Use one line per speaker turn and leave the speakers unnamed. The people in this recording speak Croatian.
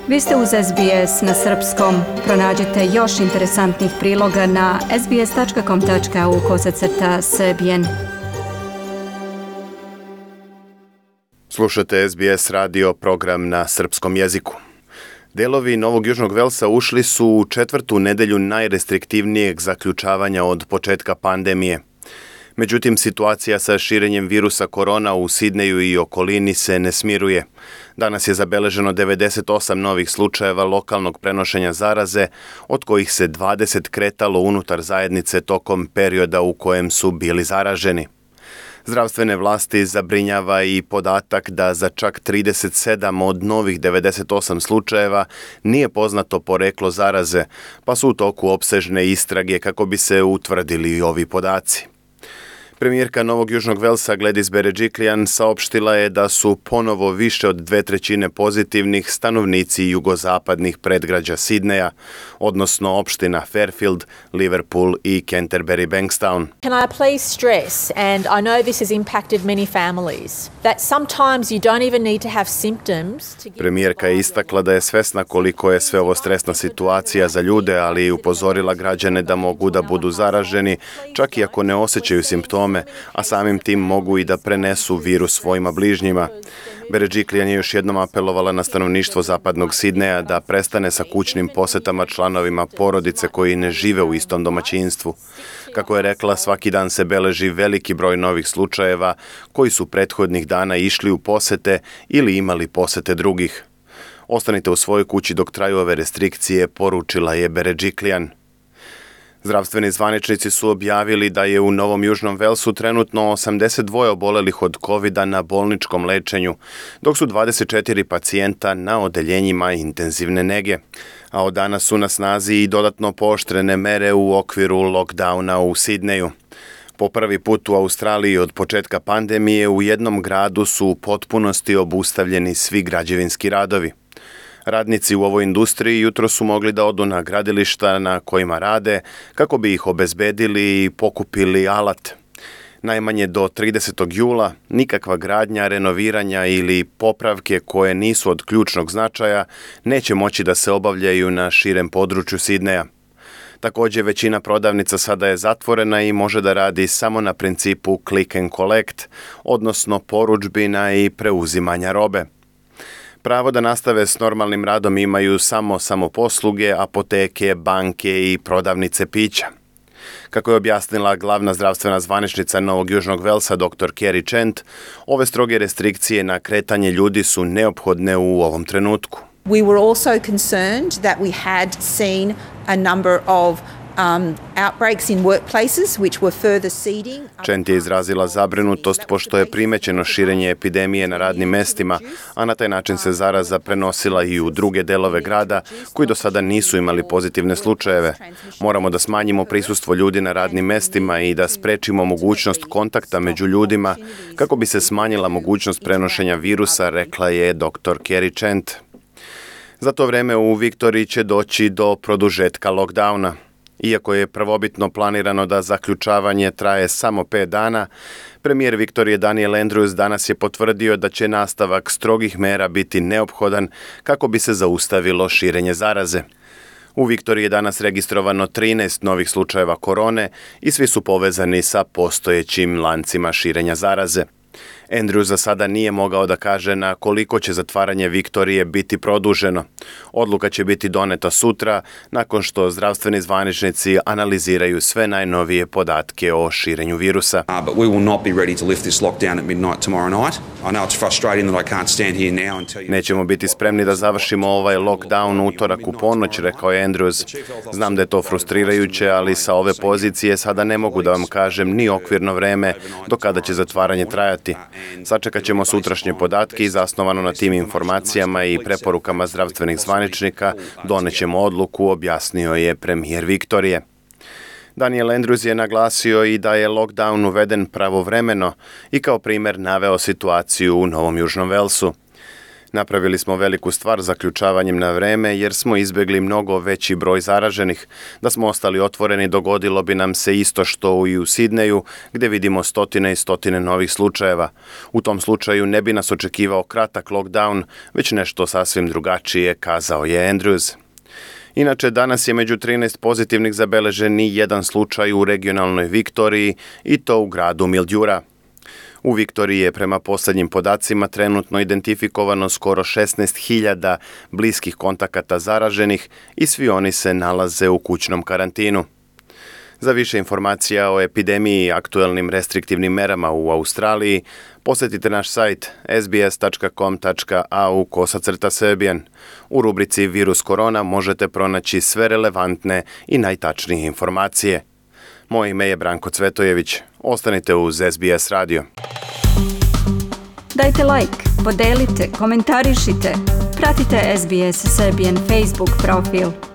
Vi ste uz SBS na srpskom. Pronađite još interesantnih priloga na sbs.com.au/srbijen.
Slušate SBS radio program na srpskom jeziku. Delovi Novog Južnog Velsa ušli su u 4. nedelju najrestriktivnijeg zaključavanja od početka pandemije. Međutim, situacija sa širenjem virusa korona u Sidneju i okolini se ne smiruje. Danas je zabeleženo 98 novih slučajeva lokalnog prenošenja zaraze, od kojih se 20 kretalo unutar zajednice tokom perioda u kojem su bili zaraženi. Zdravstvene vlasti zabrinjava i podatak da za čak 37 od novih 98 slučajeva nije poznato poreklo zaraze, pa su u toku opsežne istrage kako bi se utvrdili ovi podaci. Premijerka Novog Južnog Velsa Gladys Berejiklian saopštila je da su ponovo više od 2/3 pozitivnih stanovnici jugozapadnih predgrađa Sidneja, odnosno opština Fairfield, Liverpool i Canterbury Bankstown.
Can I please stress, and I know this has impacted many families, that sometimes you don't even need to have symptoms to get...
Premijerka je istakla da je svesna koliko je sve ovo stresna situacija za ljude, ali i upozorila građane da mogu da budu zaraženi, čak i ako ne osjećaju simptome, a samim tim mogu i da prenesu virus svojima bližnjima. Berejiklian je još jednom apelovala na stanovništvo zapadnog Sidneja da prestane sa kućnim posetama članovima porodice koji ne žive u istom domaćinstvu. Kako je rekla, svaki dan se beleži veliki broj novih slučajeva koji su prethodnih dana išli u posete ili imali posete drugih. Ostanite u svojoj kući dok traju ove restrikcije, poručila je Berejiklian. Zdravstveni zvaničnici su objavili da je u Novom Južnom Velsu trenutno 82 obolelih od COVID-a na bolničkom lečenju, dok su 24 pacijenta na odeljenjima intenzivne nege. A od danas su na snazi i dodatno pooštrene mere u okviru lockdowna u Sidneju. Po prvi put u Australiji od početka pandemije u jednom gradu su u potpunosti obustavljeni svi građevinski radovi. Radnici u ovoj industriji jutro su mogli da odu na gradilišta na kojima rade kako bi ih obezbedili i pokupili alat. Najmanje do 30. jula nikakva gradnja, renoviranja ili popravke koje nisu od ključnog značaja neće moći da se obavljaju na širem području Sidneja. Također, većina prodavnica sada je zatvorena i može da radi samo na principu click and collect, odnosno porudžbina i preuzimanja robe. Pravo da nastave s normalnim radom imaju samo samoposluge, apoteke, banke i prodavnice pića. Kako je objasnila glavna zdravstvena zvaničnica Novog Južnog Velsa dr. Kerry Chant, ove stroge restrikcije na kretanje ljudi su neophodne u ovom trenutku.
We were also concerned that we had seen a number of outbreaks in workplaces which were further seeding.
Chant je izrazila zabrinutost pošto je primećeno širenje epidemije na radnim mestima, a na taj način se zaraza prenosila i u druge delove grada koji do sada nisu imali pozitivne slučajeve. Moramo da smanjimo prisustvo ljudi na radnim mestima i da sprečimo mogućnost kontakta među ljudima kako bi se smanjila mogućnost prenošenja virusa, rekla je dr. Kerry Chant. Za to vreme u Viktoriji će doći do produžetka lockdowna. Iako je prvobitno planirano da zaključavanje traje samo 5 dana, premijer Viktorije Daniel Andrews danas je potvrdio da će nastavak strogih mera biti neophodan kako bi se zaustavilo širenje zaraze. U Viktoriji je danas registrovano 13 novih slučajeva korone i svi su povezani sa postojećim lancima širenja zaraze. Andrew za sada nije mogao da kaže na koliko će zatvaranje Viktorije biti produženo. Odluka će biti doneta sutra, nakon što zdravstveni zvaničnici analiziraju sve najnovije podatke o širenju virusa.
But we will not be ready to lift this lockdown at midnight tomorrow night. I know it's frustrating that I can't stand here now and tell you.
Nećemo biti spremni da završimo ovaj lockdown utorak u ponoć, rekao je Andrews. Znam da je to frustrirajuće, ali sa ove pozicije sada ne mogu da vam kažem ni okvirno vreme do kada će zatvaranje trajati. Sačekat ćemo sutrašnje podatke i zasnovano na tim informacijama i preporukama zdravstvenih zvaničnika donećemo odluku, objasnio je premijer Viktorije. Daniel Andrews je naglasio i da je lockdown uveden pravovremeno i kao primjer naveo situaciju u Novom Južnom Velsu. Napravili smo veliku stvar zaključavanjem na vreme jer smo izbjegli mnogo veći broj zaraženih. Da smo ostali otvoreni dogodilo bi nam se isto što i u Sidneju gdje vidimo stotine i stotine novih slučajeva. U tom slučaju ne bi nas očekivao kratak lockdown, već nešto sasvim drugačije, kazao je Andrews. Inače, danas je među 13 pozitivnih zabeležen i jedan slučaj u regionalnoj Viktoriji i to u gradu Mildura. U Viktoriji je prema posljednjim podacima trenutno identifikovano skoro 16.000 bliskih kontakata zaraženih i svi oni se nalaze u kućnom karantinu. Za više informacija o epidemiji i aktuelnim restriktivnim merama u Australiji posjetite naš sajt sbs.com.au/Serbian. U rubrici Virus korona možete pronaći sve relevantne i najtačnije informacije. Moje ime je Branko Cvetojević. Ostanite uz SBS radio.
Dajte like, podelite, komentarišite. Pratite SBS Serbian Facebook profil.